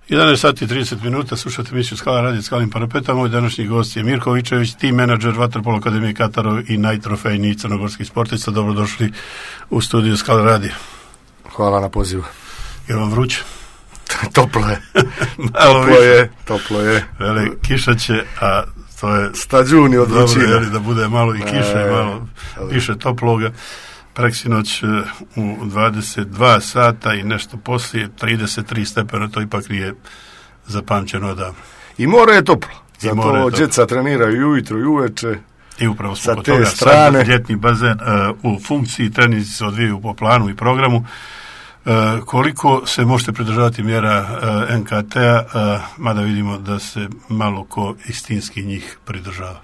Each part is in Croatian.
11 sati i 30 minuta, slušate emisiju Skala radio Skalim parapeta. Moj današnji gost je Mirko Vičević, team menadžer Vaterpolo akademije Katarov i najtrofejniji crnogorski sportista. Dobrodošli u studiju Skala radio. Hvala na pozivu. Je vam vruće? Toplo je. Toplo je. Vele, kiša će, a to je stađuni od vrućine. Dobro, da bude malo i kiše, malo više toploga. Preksinoć u 22 sata i nešto poslije 33 stepena, to ipak nije zapamćeno odavno. I more je toplo, zato djeca treniraju ujutro i uveče. I upravo smo sa kod te toga strane. Sad ljetni bazen u funkciji, treninzi se odvijaju po planu i programu. Koliko se možete pridržavati mjera NKT-a, mada vidimo da se malo ko istinski njih pridržava?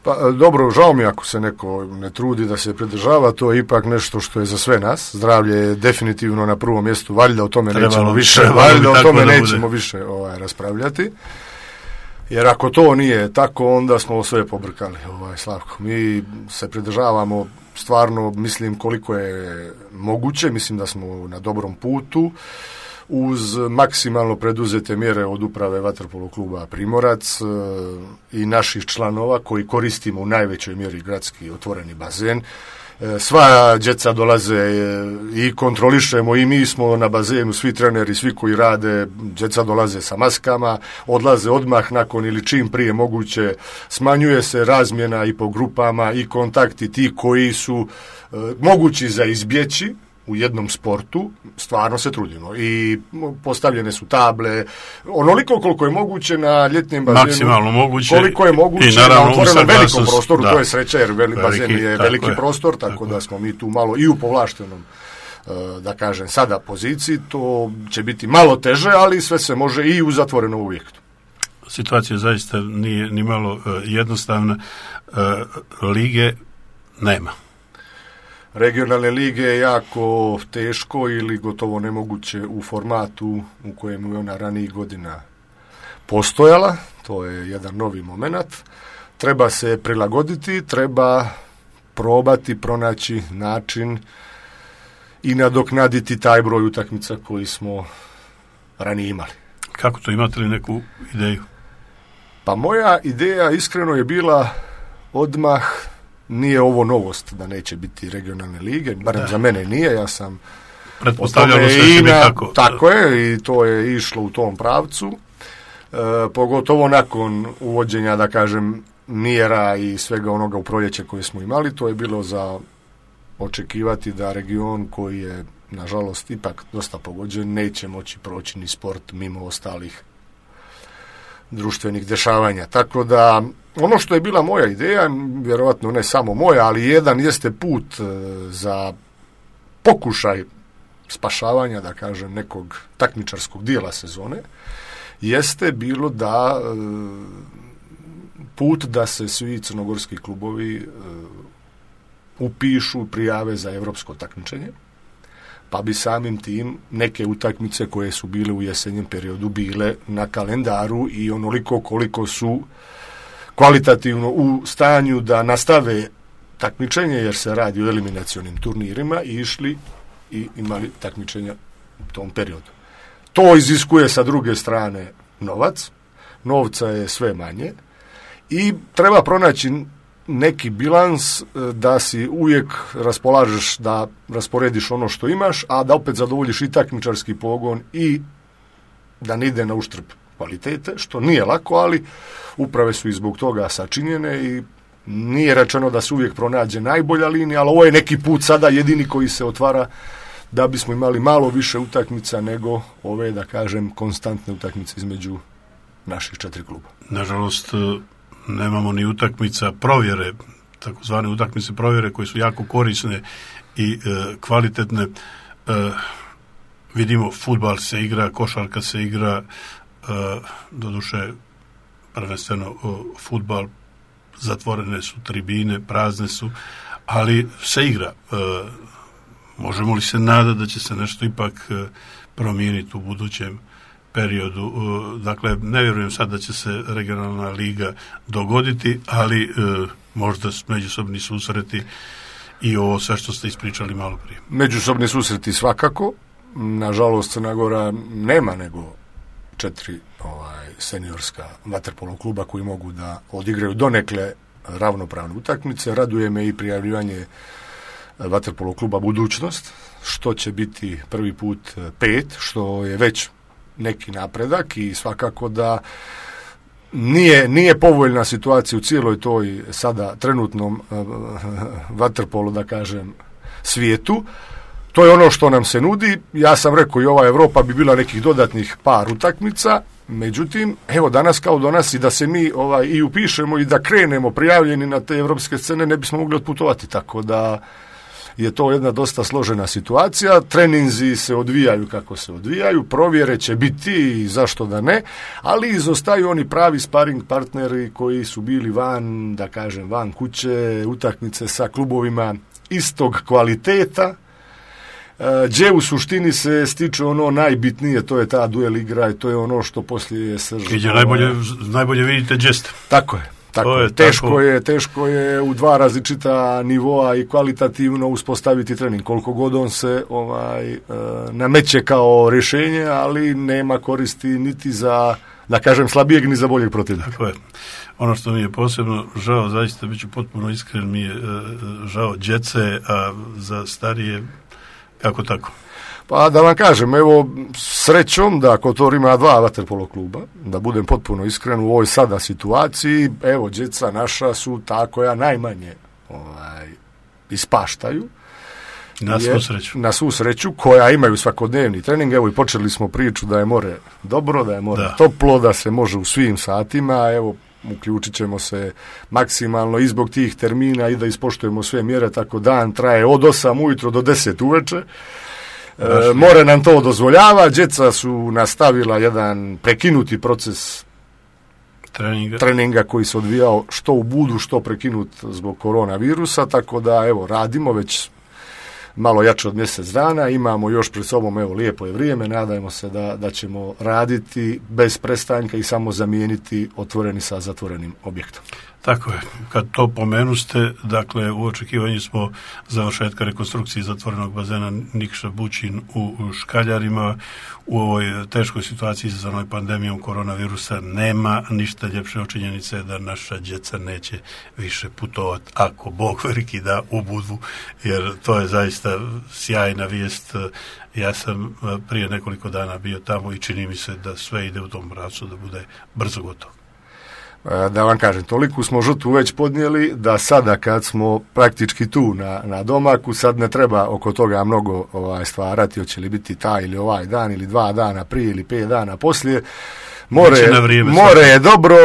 Pa dobro, žao mi ako se neko ne trudi da se pridržava, to je ipak nešto što je za sve nas. Zdravlje je definitivno na prvom mjestu, valjda o tome nećemo više raspravljati. Jer ako to nije tako, onda smo sve pobrkali, Slavko. Mi se pridržavamo stvarno, mislim, koliko je moguće, mislim da smo na dobrom putu, uz maksimalno preduzete mjere od uprave Vaterpolo kluba Primorac i naših članova koji koristimo u najvećoj mjeri gradski otvoreni bazen. Sva djeca dolaze i kontrolišemo, i mi smo na bazenu, svi treneri, svi koji rade, djeca dolaze sa maskama, odlaze odmah nakon ili čim prije moguće, smanjuje se razmjena i po grupama i kontakti ti koji su mogući za izbjeći u jednom sportu, stvarno se trudimo i postavljene su table, onoliko koliko je moguće na ljetnim bazenu, maksimalno moguće, koliko je moguće i naravno, na otvorenom velikom prostoru, da. To je sreća jer bazen je veliki prostor, tako da smo mi tu malo i u povlaštenom, da kažem, sada poziciji, to će biti malo teže, ali sve se može i u zatvorenom objektu. Situacija zaista nije ni malo jednostavna, lige nema. Regionalne lige je jako teško ili gotovo nemoguće u formatu u kojem je ona ranijih godina postojala. To je jedan novi moment. Treba se prilagoditi, treba probati pronaći način i nadoknaditi taj broj utakmica koji smo ranije imali. Kako to, imate li neku ideju? Pa moja ideja iskreno je bila odmah, nije ovo novost da neće biti regionalne lige, barem za mene nije, ja sam pretpostavljalo sve će biti tako. Tako je, i to je išlo u tom pravcu, pogotovo nakon uvođenja, da kažem, mjera i svega onoga u proljeće koje smo imali, to je bilo za očekivati da region koji je, nažalost, ipak dosta pogođen, neće moći proći ni sport mimo ostalih društvenih dešavanja. Tako da, ono što je bila moja ideja, vjerojatno ne samo moja, ali jedan jeste put za pokušaj spašavanja, da kažem, nekog takmičarskog dijela sezone, jeste bilo da put da se svi crnogorski klubovi upišu, prijave za europsko takmičenje, pa bi samim tim neke utakmice koje su bile u jesenjem periodu bile na kalendaru i onoliko koliko su kvalitativno u stanju da nastave takmičenje, jer se radi o eliminacionim turnirima, i išli i imali takmičenja u tom periodu. To iziskuje sa druge strane novac, novca je sve manje i treba pronaći neki bilans da si uvijek raspolažeš, da rasporediš ono što imaš, a da opet zadovoljiš i takmičarski pogon i da ne ide na uštrb kvalitete, što nije lako, ali uprave su i zbog toga sačinjene i nije rečeno da se uvijek pronađe najbolja linija, ali ovo je neki put sada jedini koji se otvara da bismo imali malo više utakmica nego ove, da kažem, konstantne utakmice između naših 4 kluba. Nažalost, nemamo ni utakmica provjere, takozvane utakmice provjere koje su jako korisne i kvalitetne. Vidimo, fudbal se igra, košarka se igra, doduše prvenstveno fudbal, zatvorene su tribine, prazne su, ali se igra. Možemo li se nadati da će se nešto ipak promijeniti u budućem periodu? Dakle, ne vjerujem sad da će se regionalna liga dogoditi, ali možda međusobni susreti i ovo sve što ste ispričali malo prije. Međusobni susreti svakako. Nažalost, Crna Gora nema nego 4 seniorska vaterpolo kluba koji mogu da odigraju donekle ravnopravne utakmice. Raduje me i prijavljivanje vaterpolo kluba Budućnost, što će biti prvi put 5, što je već neki napredak i svakako da nije povoljna situacija u cijeloj toj sada trenutnom vaterpolu, da kažem, svijetu. To je ono što nam se nudi. Ja sam rekao i ova Evropa bi bila nekih dodatnih par utakmica, međutim, evo danas kao danas i da se mi i upišemo i da krenemo prijavljeni na te evropske scene ne bismo mogli otputovati, tako da je to jedna dosta složena situacija. Treninzi se odvijaju kako se odvijaju, provjere će biti i zašto da ne, ali izostaju oni pravi sparing partneri koji su bili van, da kažem, van kuće, utakmice sa klubovima istog kvaliteta, gdje u suštini se stiče ono najbitnije, to je ta duel igra i to je ono što poslije je srž. Gdje najbolje vidite džest. Tako je. Teško je u 2 različita nivoa i kvalitativno uspostaviti trening. Koliko god on se nameće kao rješenje, ali nema koristi niti za, da kažem, slabijeg ni za boljeg protivnika. Tako je. Ono što mi je posebno žao, zaista bit ću potpuno iskren, mi je žao djece, a za starije kako tako? Pa da vam kažem, evo, srećom da Kotor ima 2 vaterpolo kluba, da budem potpuno iskren u ovoj sada situaciji, evo, djeca naša su ta koja najmanje ispaštaju. Na svu sreću, koja imaju svakodnevni trening. Evo i počeli smo priču da je more dobro, da je more toplo, da se može u svim satima, evo, uključit ćemo se maksimalno i zbog tih termina i da ispoštujemo sve mjere, tako dan traje od 8 ujutro do 10 uveče. More nam to dozvoljava, djeca su nastavila jedan prekinuti proces treninga koji se odvijao što u Budu, što prekinut zbog koronavirusa, tako da evo radimo već malo jače od mjesec dana, imamo još pred sobom, evo, lijepo je vrijeme, nadajmo se da ćemo raditi bez prestanka i samo zamijeniti otvoreni sa zatvorenim objektom. Tako je, kad to pomenuste, dakle, u očekivanju smo završetka rekonstrukcije zatvorenog bazena Nikša Bućin u Škaljarima. U ovoj teškoj situaciji izazvanoj pandemijom koronavirusa nema ništa ljepše od činjenice da naša djeca neće više putovati, ako Bog veliki da, u Budvu, jer to je zaista sjajna vijest. Ja sam prije nekoliko dana bio tamo i čini mi se da sve ide u tom pravcu da bude brzo gotovo. Da vam kažem, toliko smo žrtvu već podnijeli da sada kad smo praktički tu na domaku, sad ne treba oko toga mnogo stvarati, hoće li biti taj ili ovaj dan ili 2 dana prije ili 5 dana poslije. More je dobro,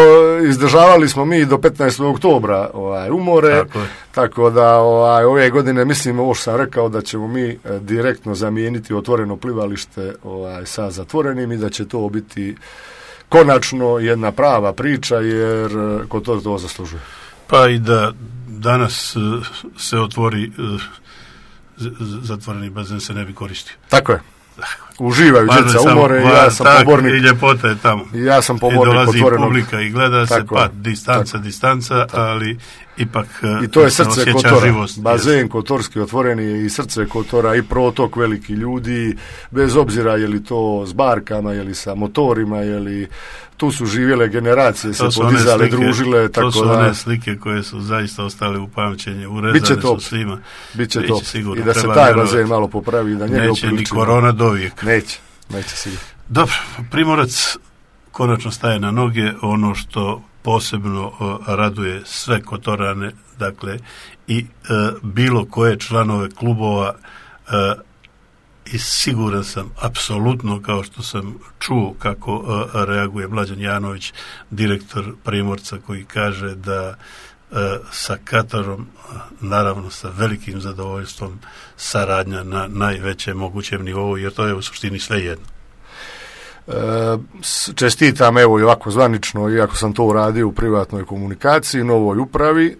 izdržavali smo mi do 15. oktobra umore, tako da ove godine mislim, ovo što sam rekao, da ćemo mi direktno zamijeniti otvoreno plivalište sa zatvorenim i da će to biti konačno jedna prava priča, jer Kotor to zaslužuje. Pa i da danas se otvori zatvoreni bazen se ne bi koristio. Tako je. Uživaju djeca umore i ja sam pobornik. I ljepota je tamo. Ja sam pobornik otvorenog. I dolazi publika i gleda se, distanca, ali ipak i to je srce Kotora. Živost, bazen kotorski otvoreni je i srce Kotora i protok veliki ljudi, bez obzira je li to s barkama, je li sa motorima, je li tu su živjele generacije, se podizale, družile. To su one slike koje su zaista ostale u pamćenje, urezane su svima. Biće to. I da se taj bazen malo popravi, da njega neće ni korona dovijek. Neće sigurno. Dobro, Primorac konačno staje na noge, ono što posebno raduje sve Kotorane, dakle i bilo koje članove klubova, i siguran sam apsolutno, kao što sam čuo kako reaguje Mlađan Janović, direktor Primorca, koji kaže da sa Katarom, naravno sa velikim zadovoljstvom, saradnja na najvećem mogućem nivou, jer to je u suštini sve jedno. Čestitam, evo i ovako zvanično, iako sam to uradio u privatnoj komunikaciji, novoj upravi,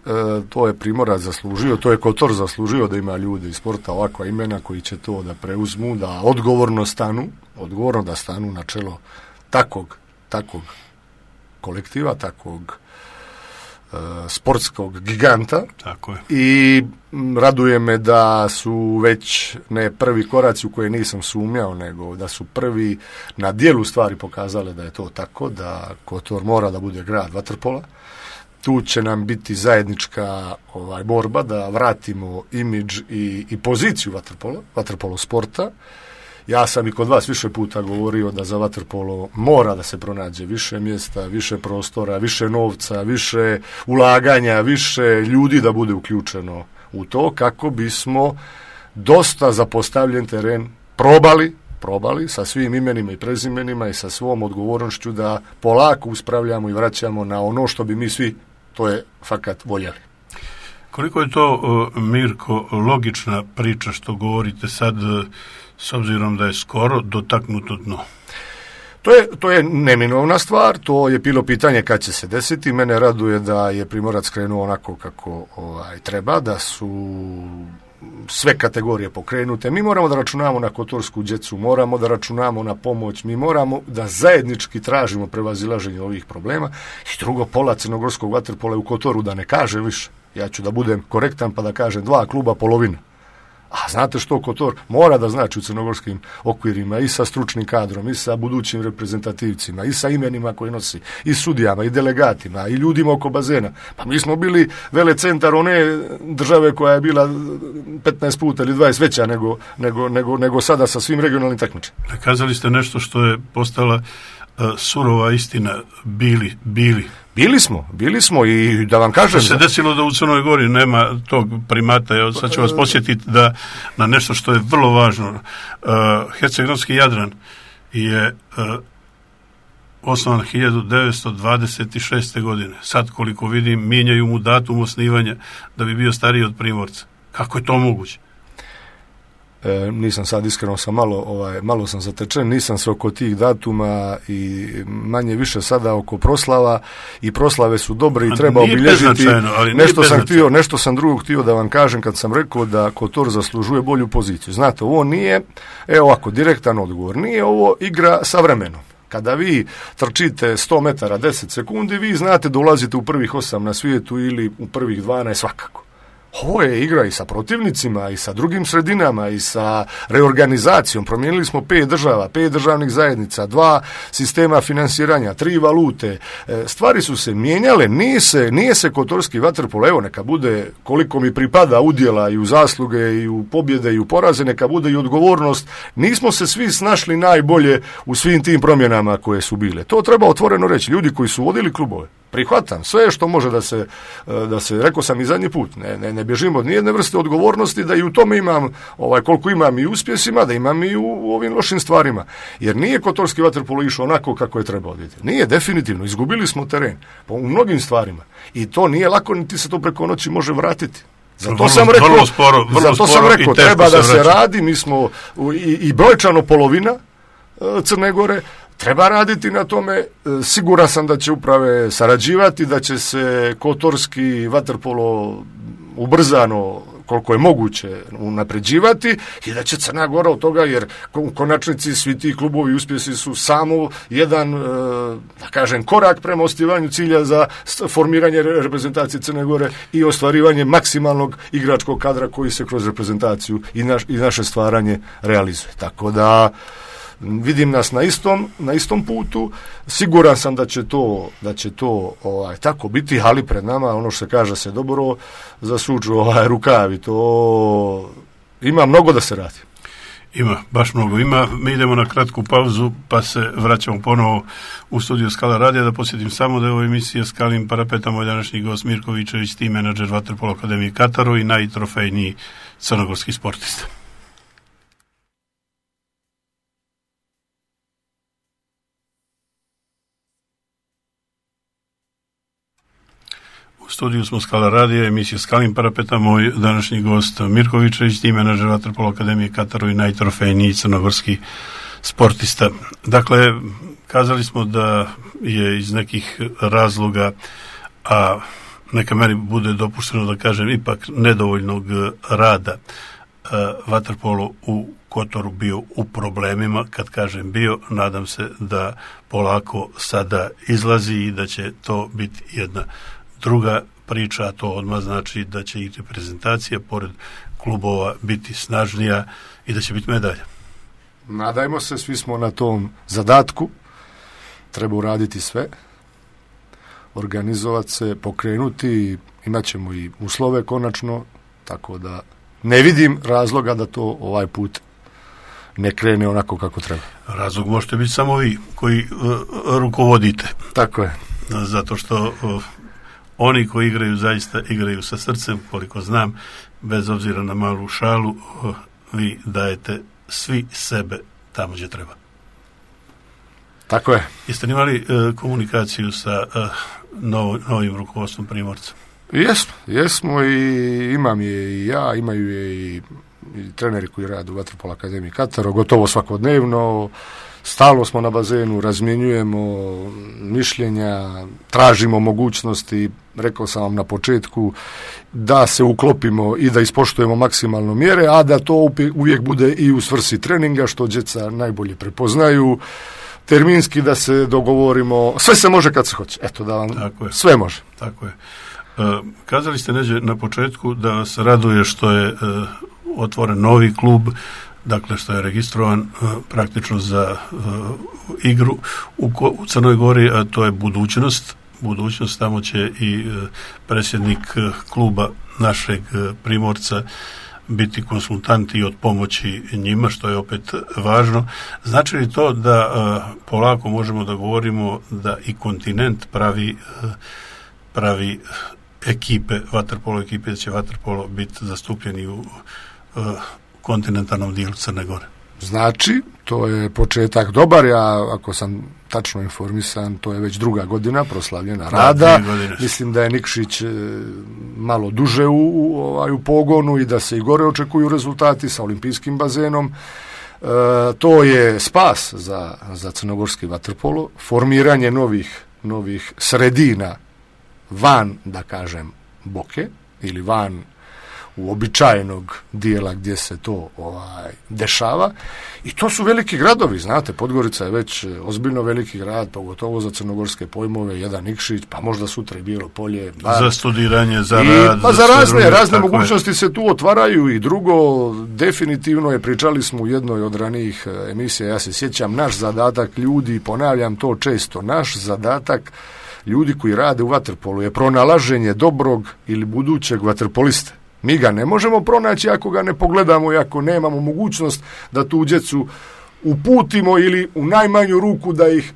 to je Primorac zaslužio, to je Kotor zaslužio da ima ljudi iz sporta ovakva imena koji će to da preuzmu, da odgovorno da stanu na čelo takvog kolektiva, takvog sportskog giganta. Tako je. I raduje me da su već ne prvi koraci u koje nisam sumnjao, nego da su prvi na dijelu stvari pokazale da je to tako, da Kotor mora da bude grad vaterpola. Tu će nam biti zajednička borba da vratimo imidž i poziciju vaterpolo sporta. Ja sam i kod vas više puta govorio da za vaterpolo mora da se pronađe više mjesta, više prostora, više novca, više ulaganja, više ljudi da bude uključeno u to, kako bismo dosta zapostavljen teren probali sa svim imenima i prezimenima i sa svom odgovornošću da polako uspravljamo i vraćamo na ono što bi mi svi, to je fakat, voljeli. Koliko je to, Mirko, logična priča što govorite sad, s obzirom da je skoro dotaknuto dno? To je neminovna stvar, to je bilo pitanje kad će se desiti. Mene raduje da je Primorac krenuo onako kako treba, da su sve kategorije pokrenute. Mi moramo da računamo na kotorsku djecu, moramo da računamo na pomoć, mi moramo da zajednički tražimo prevazilaženje ovih problema. I drugo, pola crnogorskog vaterpola u Kotoru, da ne kaže više. Ja ću da budem korektan pa da kažem 2 kluba polovina. A znate što Kotor mora da znači u crnogorskim okvirima i sa stručnim kadrom, i sa budućim reprezentativcima, i sa imenima koji nosi, i sudijama, i delegatima, i ljudima oko bazena. Pa mi smo bili velecentar one države koja je bila 15 puta ili 20 veća nego sada sa svim regionalnim takmičenjima. Kazali ste nešto što je postala surova istina, bili. Bili smo i da vam kažem... Što se desilo da u Crnoj Gori nema tog primata, evo sad ću vas posjetiti da na nešto što je vrlo važno. Herceg-Novski Jadran je osnovan 1926. godine. Sad koliko vidim, mijenjaju mu datum osnivanja da bi bio stariji od Primorca. Kako je to moguće? Nisam sad iskreno, malo sam zatečen, nisam se oko tih datuma i manje više sada oko proslava, i proslave su dobre i treba obilježiti. Nešto sam drugo htio da vam kažem kad sam rekao da Kotor zaslužuje bolju poziciju. Znate, ovo nije, direktan odgovor, nije ovo igra sa vremenom. Kada vi trčite 100 metara 10 sekundi, vi znate da ulazite u prvih 8 na svijetu ili u prvih 12 svakako. Ovo je igra i sa protivnicima, i sa drugim sredinama, i sa reorganizacijom. Promijenili smo 5 država, 5 državnih zajednica, 2 sistema finansiranja, 3 valute. Stvari su se mijenjale, nije se kotorski vaterpolo, evo neka bude koliko mi pripada udjela i u zasluge, i u pobjede, i u poraze, neka bude i odgovornost. Nismo se svi snašli najbolje u svim tim promjenama koje su bile. To treba otvoreno reći. Ljudi koji su vodili klubove, prihvatam sve što može da se, rekao sam i zadnji put, ne bježimo od nijedne vrste odgovornosti, da i u tome imam, koliko imam i uspjesima, da imam i u ovim lošim stvarima. Jer nije kotorski vaterpolo išao onako kako je trebao. Nije, definitivno, izgubili smo teren u mnogim stvarima. I to nije lako, niti se to preko noći može vratiti. Zato sam rekao, treba da se radi, mi smo i brojčano polovina Crne Gore, treba raditi na tome, siguran sam da će uprave sarađivati, da će se kotorski vaterpolo ubrzano, koliko je moguće, unapređivati i da će Crna Gora od toga, jer u konačnici svi ti klubovi uspjesi su samo jedan, da kažem, korak prema ostvarivanju cilja za formiranje reprezentacije Crne Gore i ostvarivanje maksimalnog igračkog kadra koji se kroz reprezentaciju i naše stvaranje realizuje. Tako da vidim nas na istom putu, siguran sam da će to tako biti, ali pred nama, ono što se kaže, se dobro zasuču rukavi, to ima mnogo da se radi. Ima, baš mnogo ima. Mi idemo na kratku pauzu pa se vraćamo ponovo u studiju Skala radija. Da podsjetim samo da je ovo emisija Skalim parapeta, moj današnji gost Mirko Vičević, team menadžer Vaterpolo Akademije Kataru i najtrofejniji crnogorski sportista. U studiju smo Skala radija, emisija Skalim parapeta, moj današnji gost Mirko Vičević, team menadžer Vaterpolo Akademije Kataru i najtrofejniji crnogorski sportista. Dakle, kazali smo da je iz nekih razloga, a neka meni bude dopušteno da kažem ipak nedovoljnog rada, vaterpolo u Kotoru bio u problemima. Kad kažem bio, nadam se da polako sada izlazi i da će to biti jedna druga priča, a to odmah znači da će i reprezentacija pored klubova biti snažnija i da će biti medalja. Nadajmo se, svi smo na tom zadatku, treba uraditi sve, organizovati se, pokrenuti, imat ćemo i uslove konačno, tako da ne vidim razloga da to ovaj put ne krene onako kako treba. Razlog možete biti samo vi koji rukovodite. Tako je. Zato što oni koji igraju zaista igraju sa srcem, koliko znam, bez obzira na malu šalu, vi dajete svi sebe tamo gdje treba. Tako je. Jeste li imali komunikaciju sa novim rukovodstvom Primorca? Jesmo i imam je i ja, imaju je i treneri koji rade u Vaterpolo akademiji Kataro, gotovo svakodnevno, stalno smo na bazenu, razmjenjujemo mišljenja, tražimo mogućnosti, rekao sam vam na početku, da se uklopimo i da ispoštujemo maksimalno mjere, a da to uvijek bude i u svrsi treninga, što djeca najbolje prepoznaju, terminski da se dogovorimo, sve se može kad se hoće, eto da vam sve može. Tako je. Kazali ste neđe na početku da vas raduje što je otvoren novi klub, dakle što je registrovan praktično za igru u Crnoj Gori, a to je budućnost. Tamo će i predsjednik kluba našeg Primorca biti konsultant i od pomoći njima, što je opet važno. Znači li to da polako možemo da govorimo da i kontinent pravi ekipe, vaterpolo ekipe, da će vaterpolo biti zastupljeni u kontinentalnom dijelu Crne Gore? Znači, to je početak dobar, ja ako sam tačno informisan, to je već 2. godina proslavljena rada. Mislim da je Nikšić malo duže u pogonu i da se i gore očekuju rezultati sa olimpijskim bazenom. To je spas za crnogorski vaterpolo, formiranje novih sredina van, da kažem, Boke ili van uobičajenog dijela gdje se to dešava, i to su veliki gradovi, znate, Podgorica je već ozbiljno veliki grad, pogotovo za crnogorske pojmove, jedan Nikšić, pa možda sutra i Bijelo Polje, za studiranje, za rad, pa za razne mogućnosti se tu otvaraju. I drugo, definitivno je, pričali smo u jednoj od ranijih emisija, ja se sjećam, naš zadatak ljudi, ponavljam to često, naš zadatak ljudi koji rade u vaterpolu je pronalaženje dobrog ili budućeg vaterpoliste. Mi ga ne možemo pronaći ako ga ne pogledamo i ako nemamo mogućnost da tu djecu uputimo ili u najmanju ruku da ih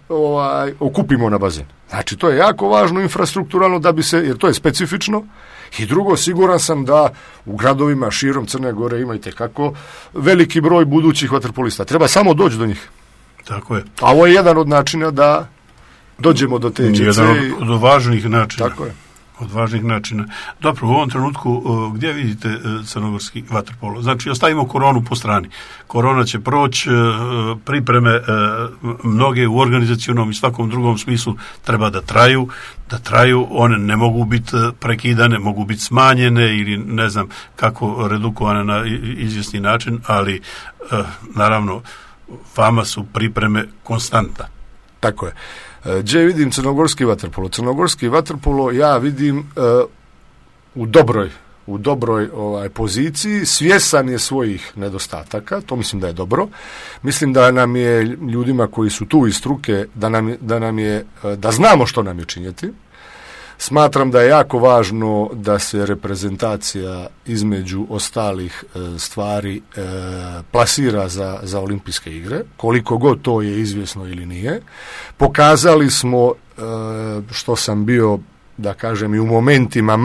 okupimo na bazen. Znači, to je jako važno infrastrukturalno da bi se, jer to je specifično. I drugo, siguran sam da u gradovima širom Crne Gore imate kako veliki broj budućih vaterpolista. Treba samo doći do njih. Tako je. A ovo je jedan od načina da dođemo do te djece. Jedan od važnih načina. Tako je. Od važnih načina. Dobro, u ovom trenutku gdje vidite crnogorski vaterpolo? Znači, ostavimo koronu po strani. Korona će proći, pripreme mnoge u organizacionom i svakom drugom smislu treba da traju, one ne mogu biti prekidane, mogu biti smanjene ili ne znam kako redukovane na izvjesni način, ali naravno vama su pripreme konstanta. Tako je. Gdje vidim crnogorski vaterpolo? Crnogorski vaterpolo ja vidim u dobroj poziciji, svjesan je svojih nedostataka, to mislim da je dobro. Mislim da nam je ljudima koji su tu iz struke, da znamo što nam je činjeti. Smatram da je jako važno da se reprezentacija između ostalih stvari plasira za olimpijske igre, koliko god to je izvjesno ili nije. Pokazali smo, što sam bio, da kažem, i u momentima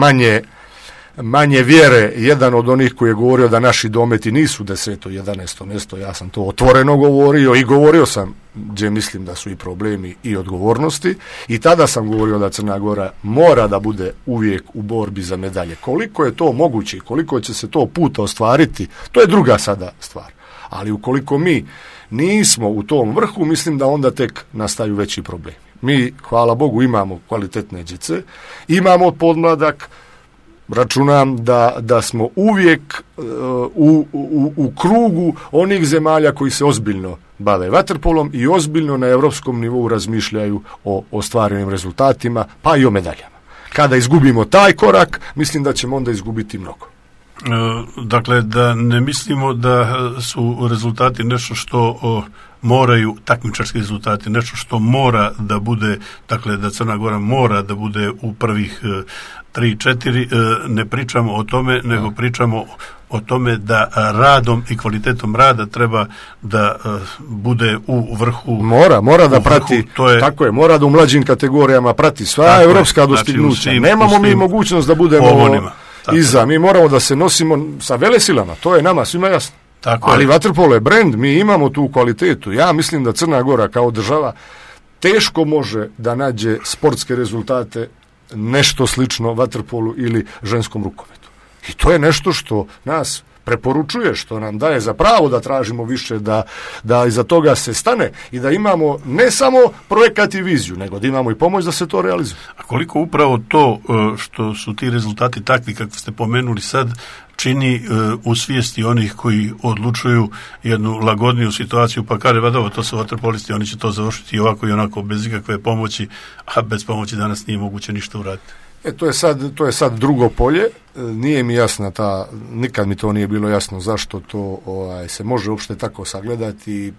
manje vjere, jedan od onih koji je govorio da naši dometi nisu 10. 11. mjesto, ja sam to otvoreno govorio i govorio sam gdje mislim da su i problemi i odgovornosti, i tada sam govorio da Crna Gora mora da bude uvijek u borbi za medalje. Koliko je to moguće i koliko će se to puta ostvariti, to je druga sada stvar. Ali ukoliko mi nismo u tom vrhu, mislim da onda tek nastaju veći problemi. Mi, hvala Bogu, imamo kvalitetne djece, imamo podmladak, računam da smo uvijek u krugu onih zemalja koji se ozbiljno bave vaterpolom i ozbiljno na europskom nivou razmišljaju o ostvarenim rezultatima, pa i o medaljama. kada izgubimo taj korak, mislim da ćemo onda izgubiti mnogo. Dakle, da ne mislimo da su rezultati nešto što moraju, takmičarski rezultati, nešto što mora da bude, dakle da Crna Gora mora da bude u prvih 3-4, ne pričamo o tome, nego pričamo o tome da radom i kvalitetom rada treba da bude u vrhu. Mora da prati, tako je, mora da u mlađim kategorijama prati sva evropska dostignuća. Znači, nemamo mi mogućnost da budemo iza, mi moramo da se nosimo sa velesilama, to je nama svima jasno. Ali vaterpolo je brend, mi imamo tu kvalitetu. Ja mislim da Crna Gora kao država teško može da nađe sportske rezultate nešto slično vaterpolu ili ženskom rukometu. I to je nešto što nas preporučuje, što nam daje za pravo da tražimo više, da iza toga se stane i da imamo ne samo projekat i viziju, nego da imamo i pomoć da se to realizuje. A koliko upravo to što su ti rezultati takvi kako ste pomenuli sad čini u svijesti onih koji odlučuju jednu lagodniju situaciju, pa kaže, to su vaterpolisti, oni će to završiti i ovako i onako bez ikakve pomoći, a bez pomoći danas nije moguće ništa uraditi. To je sad drugo polje, nije mi jasna nikad mi to nije bilo jasno zašto to se može uopšte tako sagledati.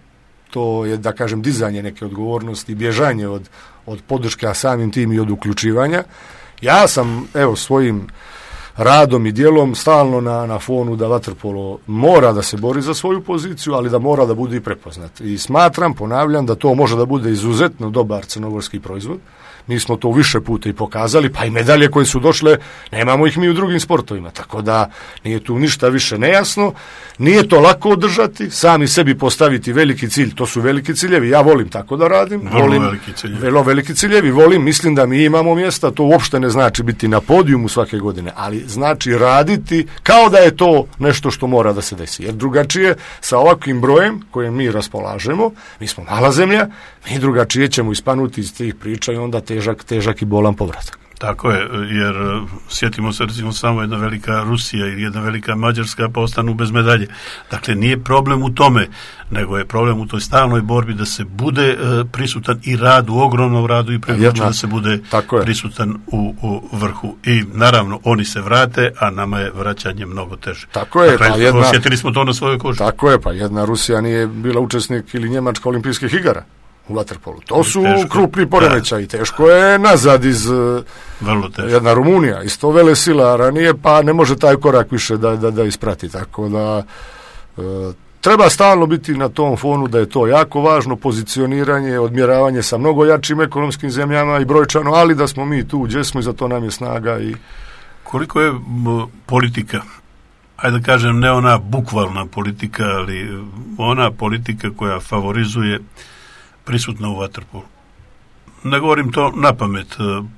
To je, da kažem, dizanje neke odgovornosti, bježanje od podrške, a samim tim i od uključivanja. Ja sam, svojim radom i djelom stalno na fonu da vaterpolo mora da se bori za svoju poziciju, ali da mora da bude i prepoznat. I smatram, ponavljam, da to može da bude izuzetno dobar crnogorski proizvod. Mi smo to više puta i pokazali, pa i medalje koje su došle, nemamo ih mi u drugim sportovima, tako da nije tu ništa više nejasno, nije to lako održati, sami sebi postaviti veliki cilj, to su veliki ciljevi, ja volim tako da radim, vrlo veliki ciljevi, mislim da mi imamo mjesta, to uopšte ne znači biti na podijumu svake godine, ali znači raditi kao da je to nešto što mora da se desi, jer drugačije sa ovakvim brojem kojim mi raspolažemo, mi smo mala zemlja, mi drugačije ćemo ispanuti iz tih priča i onda težak i bolan povratak. Tako je, jer sjetimo se recimo samo jedna velika Rusija ili jedna velika Mađarska pa ostanu bez medalje. Dakle, nije problem u tome, nego je problem u toj stalnoj borbi da se bude prisutan i radu, ogromnom radu i prevlaču da se bude prisutan u vrhu. I naravno, oni se vrate, a nama je vraćanje mnogo teže. Tako je, dakle, osjetili smo to na svojoj koži. Tako je, pa jedna Rusija nije bila učesnik ili Njemačka olimpijskih igara u vaterpolu. To su krupni poremećaji. Teško je nazad iz jedna Rumunija, isto velesila ranije, pa ne može taj korak više da isprati. Tako da treba stalno biti na tom fonu da je to jako važno, pozicioniranje, odmjeravanje sa mnogo jačim ekonomskim zemljama i brojčano, ali da smo mi tu gdje smo i za to nam je snaga. Koliko je politika, ajde da kažem, ne ona bukvalna politika, ali ona politika koja favorizuje prisutna u vaterpolu. Ne govorim to na pamet.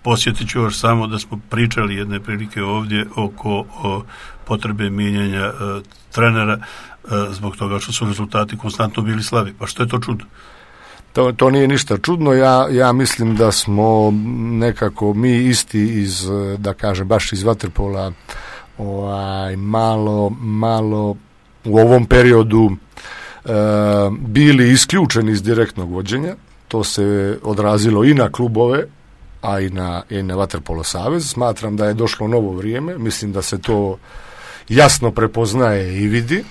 Posjetit ću još samo da smo pričali jedne prilike ovdje oko potrebe mijenjanja trenera zbog toga što su rezultati konstantno bili slabi. Pa što je to čudno? To nije ništa čudno. Ja mislim da smo nekako mi isti iz, da kažem, baš iz vaterpola malo u ovom periodu bili isključeni iz direktnog vođenja. To se odrazilo i na klubove, a i na Vaterpolo savez. Smatram da je došlo novo vrijeme. Mislim da se to jasno prepoznaje i vidi.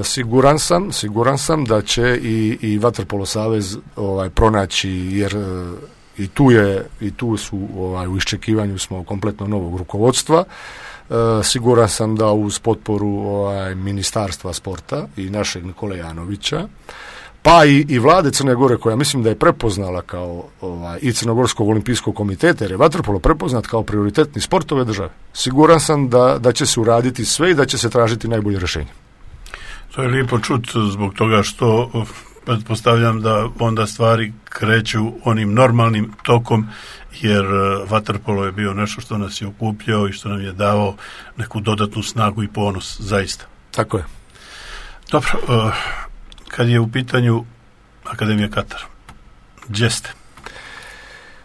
Siguran sam da će i Vaterpolo savez pronaći, jer i tu su u iščekivanju smo kompletno novog rukovodstva. Siguran sam da uz potporu Ministarstva sporta i našeg Nikole Janovića, pa i vlade Crne Gore, koja mislim da je prepoznala kao i Crnogorskog olimpijskog komiteta, jer je vaterpolo prepoznat kao prioritetni sport ove države. Siguran sam da će se uraditi sve i da će se tražiti najbolje rješenje. To je lijepo čut zbog toga što pretpostavljam da onda stvari kreću onim normalnim tokom, jer vaterpolo je bio nešto što nas je okupljao i što nam je davao neku dodatnu snagu i ponos, zaista. Tako je. Dobro, kad je u pitanju Akademija Katar, gdje ste?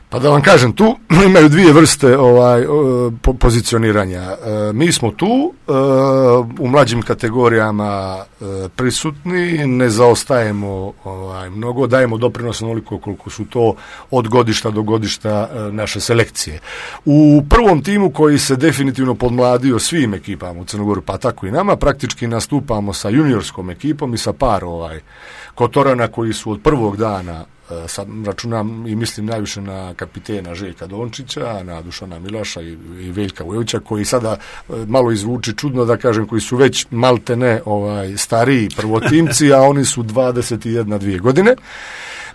Pa da vam kažem, tu imaju dvije vrste pozicioniranja. Mi smo tu u mlađim kategorijama prisutni, ne zaostajemo mnogo, dajemo doprinos onoliko koliko su to od godišta do godišta naše selekcije. U prvom timu koji se definitivno podmladio svim ekipama u Crnogoru, pa tako i nama, praktički nastupamo sa juniorskom ekipom i sa par Kotorana koji su od prvog dana, sad računam i mislim najviše na kapitena Željka Dončića, na Dušana Milaša i Veljka Vujovića, koji sada malo izvuči čudno da kažem, koji su već maltene stariji prvotimci, a oni su 21-2 godine.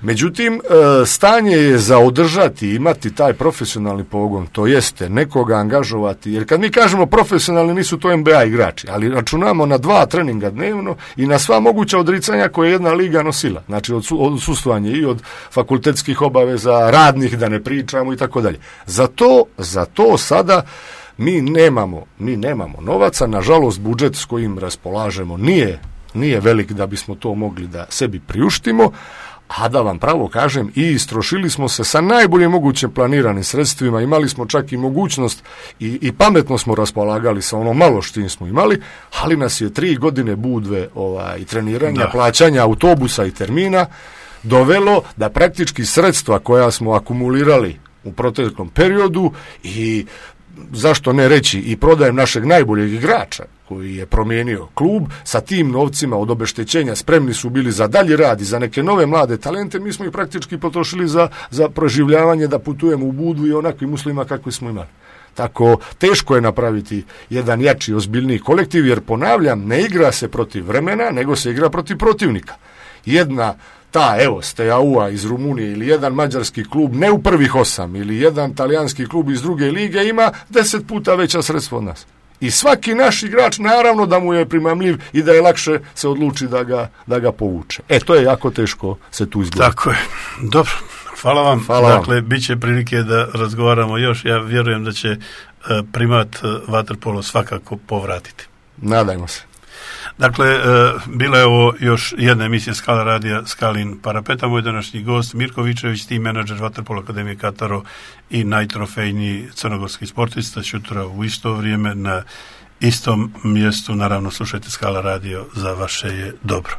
Međutim, stanje je za održati, imati taj profesionalni pogon, to jeste nekoga angažovati, jer kad mi kažemo profesionalni, nisu to NBA igrači, ali računamo na 2 treninga dnevno i na sva moguća odricanja koje je jedna liga nosila, znači od odsustvanja i od fakultetskih obaveza, radnih, da ne pričamo i tako dalje. Za to sada mi nemamo novaca, nažalost budžet s kojim raspolažemo nije velik da bismo to mogli da sebi priuštimo, a da vam pravo kažem, i istrošili smo se sa najbolje moguće planiranim sredstvima, imali smo čak i mogućnost i pametno smo raspolagali sa ono malo što smo imali, ali nas je 3 godine budve i treniranja, plaćanja autobusa i termina dovelo da praktički sredstva koja smo akumulirali u proteklom periodu i zašto ne reći i prodajem našeg najboljeg igrača koji je promijenio klub, sa tim novcima od obeštećenja spremni su bili za dalji rad i za neke nove mlade talente, mi smo ih praktički potrošili za proživljavanje da putujemo u Budvu i onakvim uslovima kakvi smo imali. Tako teško je napraviti jedan jači, ozbiljniji kolektiv, jer ponavljam, ne igra se protiv vremena, nego se igra protiv protivnika. Jedna Steaua iz Rumunije ili jedan mađarski klub, ne u prvih 8, ili jedan talijanski klub iz druge lige ima 10 puta veća sredstva od nas. I svaki naš igrač naravno da mu je primamljiv i da je lakše se odluči da ga povuče. To je jako teško se tu izgleda. Tako je. Dobro, hvala vam. Dakle, bit će prilike da razgovaramo još. Ja vjerujem da će primat vaterpolo svakako povratiti. Nadajmo se. Dakle, bila je ovo još jedna emisija Skala radija Skalin Parapeta. Moj današnji gost Mirko Vičević, tim menadžer Vaterpolo Akademije Kataro i najtrofejniji crnogorski sportista, šutura u isto vrijeme na istom mjestu. Naravno, slušajte Skala radio, za vaše je dobro.